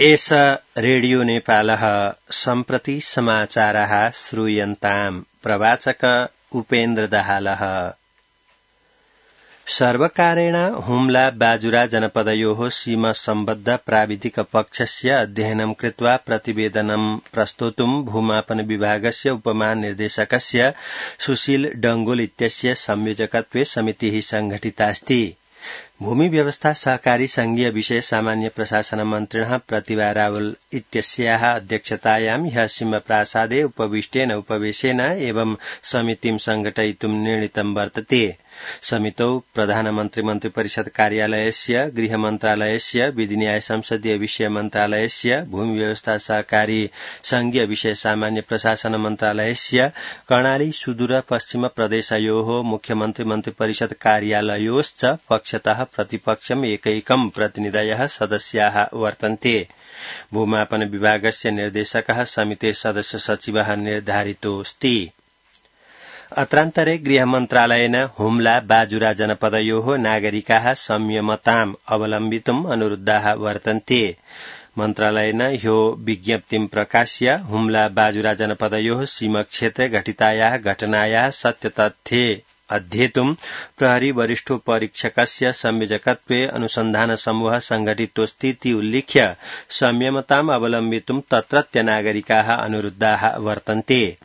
एष रेडियो नेपालः सम्प्रति समाचारः श्रूयन्ताम् प्रवाचक उपेन्द्र दाहालः। सर्वकारेण हुम्ला बाजुरा जनपदयोः सीमा सम्बद्ध प्राविधिक पक्षस्य अध्ययनं कृत्वा प्रतिवेदनं प्रस्तोतुं भूमापन विभागस्य उपमहानिर्देशकस्य सुशील डंगोल इत्यस्य संयोजकत्वे समितिः संघटितास्ति। भूमि व्यवस्था सहकारी संघीय विषय सामान्य प्रशासन मन्त्रिणः प्रतिभा रावल इत्यस्याः अध्यक्षतायां ह्यः सिंहप्रासादे उपविष्टेन उपवेशेन एवं समितिं संघटयितुं निर्णीतं वर्तते। समितौ प्रधानमन्त्री मन्त्रिपरिषद कार्यालयस्य, गृह मन्त्रालयस्य, विधि न्याय संसदीय विषय मन्त्रालयस्य, भूमि व्यवस्था सहकारी संघीय विषय सामान्य प्रशासन मन्त्रालयस्य, कर्णाली सुदूर पश्चिम प्रदेशयोः मुख्यमन्त्री मन्त्रिपरिषद कार्यालयोश्च पक्षतः प्रतिपक्षम् एकैकं प्रतिनिधयः सदस्याः वर्तन्ते। भूमापन विभागस्य निर्देशकः समितेः सदस्य सचिवः निर्धारितोऽस्ति। अत्रान्तरे गृहमन्त्रालयेन हुम्ला बाजुरा जनपदयोः नागरिकाः संयमताम् अवलम्बितुम् अनुरुद्धाः वर्तन्ते। मन्त्रालयेन ह्यो विज्ञप्तिं प्रकाश्य हुम्ला बाजुरा जनपदयोः सीमाक्षेत्रे घटितायाः घटनायाः सत्यतथ्ये अध्येतुं प्रहरी वरिष्ठोपरीक्षकस्य संयोजकत्वे अनुसन्धान समूहः संघटितोऽस्तीति उल्लिख्य संयमताम् अवलम्बितुं तत्रत्य नागरिकाः अनुरुद्धाः वर्तन्ते।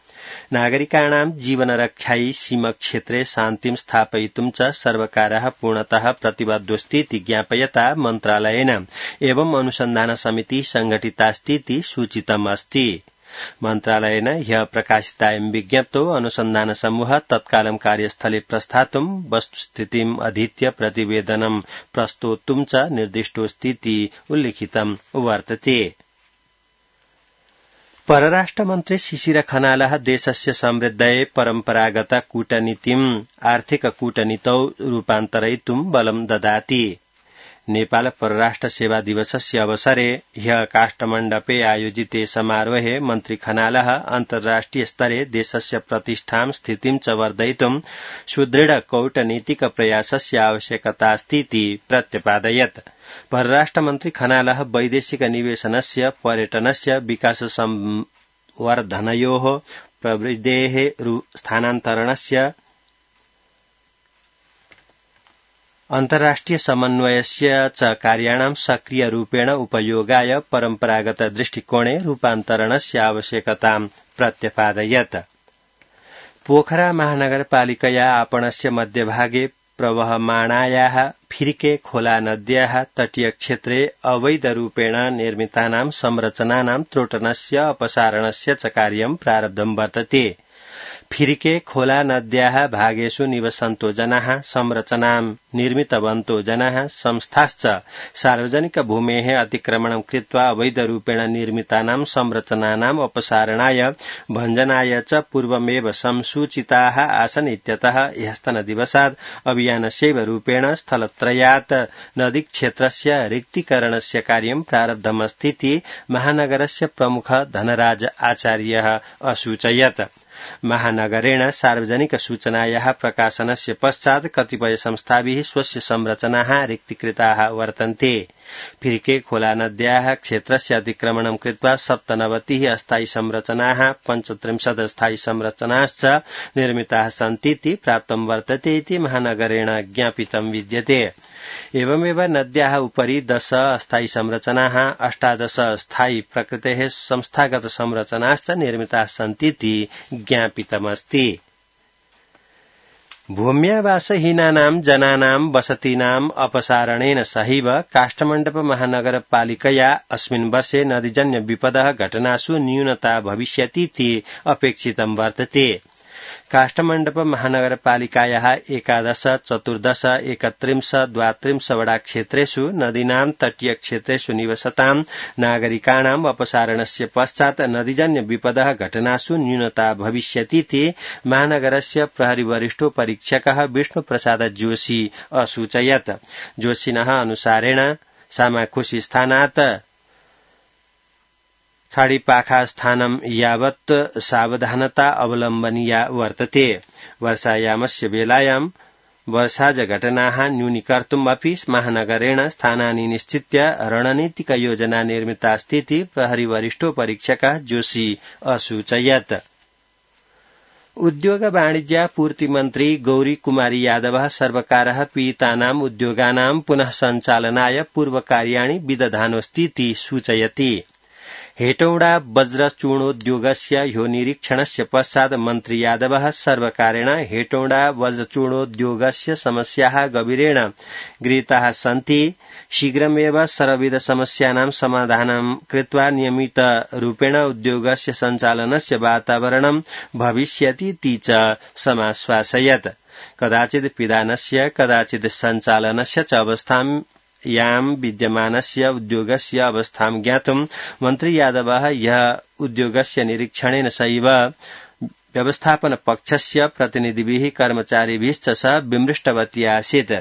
नागरिकाणां जीवनरक्षायै सीमाक्षेत्रे शान्तिं स्थापयितुं च सर्वकारः पूर्णतः प्रतिबद्धोऽस्तीति ज्ञापयता मन्त्रालयेन एवं अनुसन्धान समितिः संघटितास्तीति सूचितमस्ति। मन्त्रालयेन ह्यः प्रकाशितायां विज्ञप्तौ अनुसन्धान समूहः तत्कालं कार्यस्थले प्रस्थातुं वस्तुस्थितिम् अधीत्य प्रतिवेदनं प्रस्तोतुं च निर्दिष्टोऽस्तीति उल्लिखितं वर्तते। परराष्ट्रमन्त्री शिशिर खनालः देशस्य समृद्धये परम्परागत कूटनीतिम् आर्थिक कूटनीतौ रूपान्तरयितुं बलं ददाति। नेपाल परराष्ट्र सेवा दिवसस्य अवसरे ह्यः काष्ठमण्डपे आयोजिते समारोहे मन्त्री खनालः अन्तर्राष्ट्रिय स्तरे देशस्य प्रतिष्ठां स्थितिं च वर्धयितुं सुदृढ कूटनीतिक प्रयासस्य आवश्यकतास्तीति प्रत्यपादयत्। परराष्ट्रमन्त्री खनालः वैदेशिक निवेशनस्य, पर्यटनस्य, विकास संवर्धनयोः, प्रवृद्धेः स्थानान्तरणस्य, अन्तर्राष्ट्रिय समन्वयस्य च कार्याणां सक्रियरूपेण उपयोगाय परम्परागत दृष्टिकोणे रूपान्तरणस्य आवश्यकतां प्रत्यपादयत्। पोखरा महानगरपालिकया आपणस्य मध्यभागे प्रवहमाणायाः फिरिके खोला नद्याः तटीयक्षेत्रे अवैधरूपेण निर्मितानां संरचनानां त्रोटनस्य अपसारणस्य च कार्यं प्रारब्धं वर्तते। फिरिके खोला नद्याः भागेषु निवसन्तो जनाः, संरचनां निर्मितवन्तो जनाः, संस्थाश्च सार्वजनिक भूमेः अतिक्रमणं कृत्वा अवैधरूपेण निर्मितानां संरचनानाम् अपसारणाय भञ्जनाय च पूर्वमेव संसूचिताः आसन् इत्यतः ह्यस्तनदिवसात् अभियानस्यैव रूपेण स्थलत्रयात् नदीक्षेत्रस्य रिक्तीकरणस्य कार्यं प्रारब्धमस्तीति महानगरस्य प्रमुख धनराज आचार्यः असूचयत्। महानगरेण सार्वजनिक सूचनायाः प्रकाशनस्य पश्चात् कतिपय संस्थाभिः स्वस्य संरचनाः रिक्तीकृताः वर्तन्ते। फिरिके खोला नद्याः क्षेत्रस्य अतिक्रमणं कृत्वा 97 अस्थायी संरचनाः, 35 स्थायी संरचनाश्च निर्मिताः सन्तीति प्राप्तं वर्तते इति महानगरेण ज्ञापितं विद्यते। एवमेव नद्याः उपरि 10 अस्थायी संरचनाः, 18 स्थायी प्रकृतेः संस्थागत संरचनाश्च निर्मिताः सन्तीति ज्ञापितमस्ति। भूम्यावासहीनानां जनानां वसतीनाम् अपसारणेन सहैव काष्ठमण्डप महानगरपालिकया अस्मिन् वर्षे नदीजन्य विपदः घटनासु न्यूनता भविष्यतीति अपेक्षितं वर्तते। काष्ठमण्डप महानगरपालिकायाः 11, 14, 31, 32 वडाक्षेत्रेषु नदीनां तटीयक्षेत्रेषु निवसतां नागरिकाणाम् अपसारणस्य पश्चात् नदीजन्य विपदः घटनासु न्यूनता भविष्यतीति महानगरस्य प्रहरी वरिष्ठोपरीक्षकः विष्णुप्रसाद जोशी असूचयत्। जोशिनः अनुसारेण सामाखुशी स्थानात् खाडीपाखा स्थानं यावत् सावधानता अवलम्बनीया वर्तते। वर्षायामस्य वेलायां वर्षाजघटनाः न्यूनीकर्तुम् अपि महानगरेण स्थानानि निश्चित्य रणनीतिकयोजना निर्मितास्तीति प्रहरी वरिष्ठो परीक्षकः जोशी असूचयत्। उद्योग वाणिज्य पूर्ति मन्त्री गौरी कुमारी यादवः सर्वकारः पीडितानाम् उद्योगानां पुनः सञ्चालनाय पूर्वकार्याणि विदधानोऽस्तीति सूचयति। हेटौडा वज्रचूर्णोद्योगस्य ह्यो निरीक्षणस्य पश्चात् मन्त्री यादवः सर्वकारेण हेटौडा वज्रचूर्णोद्योगस्य समस्याः गभीरेण गृहीताः सन्ति। शीघ्रमेव सर्वविध समस्यानां समाधानं कृत्वा नियमितरूपेण उद्योगस्य सञ्चालनस्य वातावरणं भविष्यतीति च समाश्वासयत्। कदाचित् पिधानस्य कदाचित् सञ्चालनस्य च अवस्थां यां विद्यमानस्य उद्योगस्य अवस्थां ज्ञातुं मन्त्री यादवः यः उद्योगस्य निरीक्षणेन सैव व्यवस्थापनपक्षस्य प्रतिनिधिभिः कर्मचारिभिश्च सह विमृष्टवती आसीत्।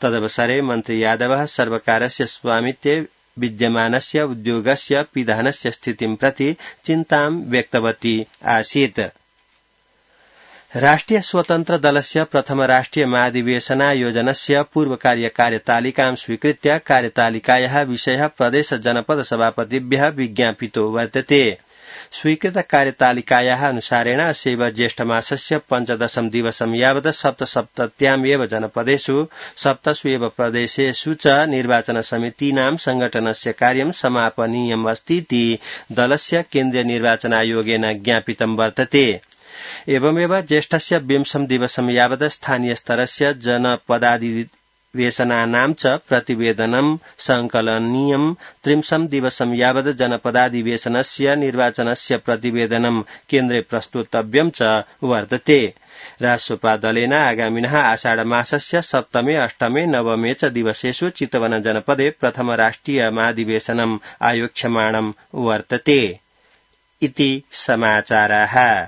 तदवसरे मन्त्री यादवः सर्वकारस्य स्वामित्वे विद्यमानस्य उद्योगस्य पिधानस्य स्थितिं प्रति चिन्तां व्यक्तवती आसीत्। राष्ट्रिय स्वतन्त्र दलस्य प्रथम राष्ट्रिय महाधिवेशनायोजनस्य पूर्वकार्यतालिकां स्वीकृत्य कार्यतालिकायाः विषयः प्रदेश जनपद सभापतिभ्यः विज्ञापितो वर्तते। स्वीकृत कार्यतालिकायाः अनुसारेण अस्यैव ज्येष्ठमासस्य 15 दिवसं यावत् सप्तसप्तत्याम् एव जनपदेषु 7 एव प्रदेशेषु च निर्वाचन समितीनां संगठनस्य कार्यं समापनीयम् अस्तीति दलस्य केन्द्रीय निर्वाचन आयोगेन ज्ञापितं वर्तते। एवमेव ज्येष्ठस्य 20 दिवसं यावत् स्थानीयस्तरस्य जनपदाधिवेशनानां च प्रतिवेदनं संकलनीयम्। 30 दिवसं यावत् जनपदाधिवेशनस्य निर्वाचनस्य प्रतिवेदनं केन्द्रे प्रस्तुतव्यं च वर्तते। रासोपा दलेन आगामिनः आषाढमासस्य 7मे 8मे 9मे च दिवसेषु चितवन जनपदे प्रथम राष्ट्रिय महाधिवेशनम् आयोक्ष्यमाणं वर्तते इति समाचाराः।